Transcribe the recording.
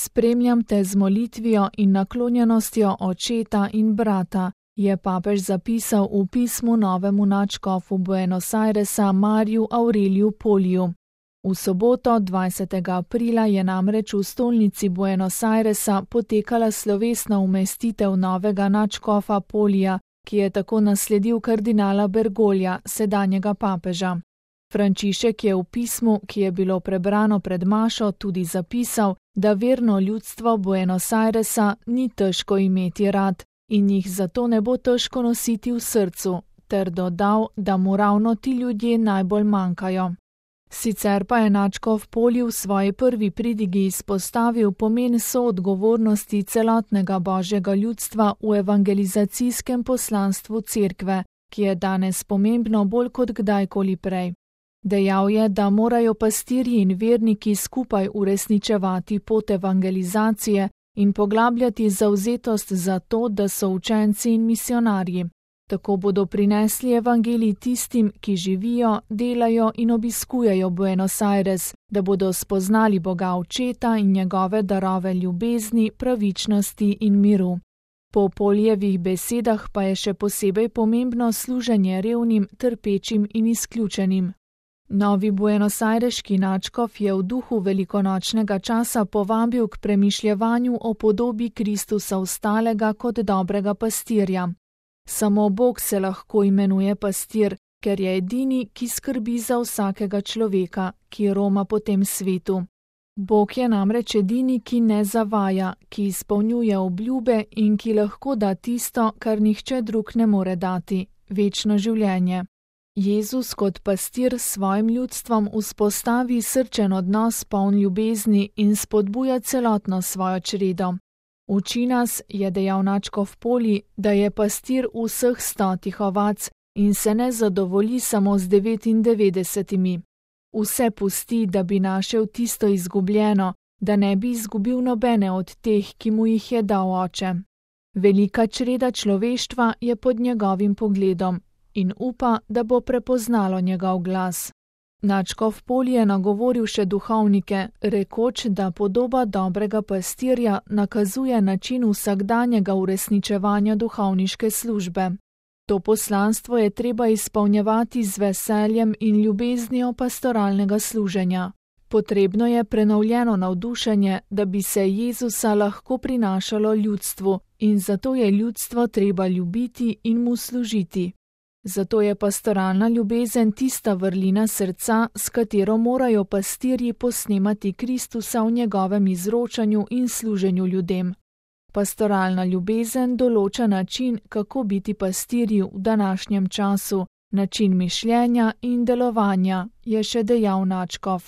Spremljam te z molitvijo in naklonjenostjo očeta in brata, je papež zapisal v pismu novemu nadškofu Buenos Airesa Mariju Aureliju Poliju. V soboto 20. aprila je namreč v stolnici Buenos Airesa potekala slovesna umestitev novega nadškofa Polija, ki je tako nasledil kardinala Bergoglja, sedanjega papeža. Frančišek je v pismu, ki je bilo prebrano pred mašo, tudi zapisal, da verno ljudstvo Buenos Airesa ni težko imeti rad in jih zato ne bo težko nositi v srcu, ter dodal, da mu ravno ti ljudje najbolj manjkajo. Sicer pa je nadškof Polij v svoji prvi pridigi izpostavil pomen soodgovornosti celotnega božjega ljudstva v evangelizacijskem poslanstvu Cerkve, ki je danes pomembno bolj kot kdajkoli prej. Dejal je, da morajo pastirji in verniki skupaj uresničevati pot evangelizacije in poglabljati zavzetost za to, da so učenci in misionarji. Tako bodo prinesli evangelij tistim, ki živijo, delajo in obiskujejo Buenos Aires, da bodo spoznali Boga Očeta in njegove darove ljubezni, pravičnosti in miru. Po Poljevih besedah pa je še posebej pomembno služenje revnim, trpečim in izključenim. Novi buenosajreški nadškof je v duhu velikonočnega časa povabil k premišljevanju o podobi Kristusa ostalega kot dobrega pastirja. Samo Bog se lahko imenuje pastir, ker je edini, ki skrbi za vsakega človeka, ki roma po tem svetu. Bog je namreč edini, ki ne zavaja, ki izpolnjuje obljube in ki lahko da tisto, kar nihče drug ne more dati, večno življenje. Jezus kot pastir s svojim ljudstvom vzpostavi srčen odnos poln ljubezni in spodbuja celotno svojo čredo. Uči nas, je dejal nadškof Polij, da je pastir vseh 100 ovac in se ne zadovolji samo z 99. Vse pusti, da bi našel tisto izgubljeno, da ne bi izgubil nobene od teh, ki mu jih je dal oče. Velika čreda človeštva je pod njegovim pogledom in upa, da bo prepoznalo njegov glas. Nadškof Polij je nagovoril še duhovnike, rekoč, da podoba dobrega pastirja nakazuje način vsakdanjega uresničevanja duhovniške službe. To poslanstvo je treba izpolnjevati z veseljem in ljubeznijo pastoralnega služenja. Potrebno je prenovljeno navdušenje, da bi se Jezusa lahko prinašalo ljudstvu in zato je ljudstvo treba ljubiti in mu služiti. Zato je pastoralna ljubezen tista vrlina srca, s katero morajo pastirji posnemati Kristusa v njegovem izročanju in služenju ljudem. Pastoralna ljubezen določa način, kako biti pastirji v današnjem času, način mišljenja in delovanja, je še dejal nadškof.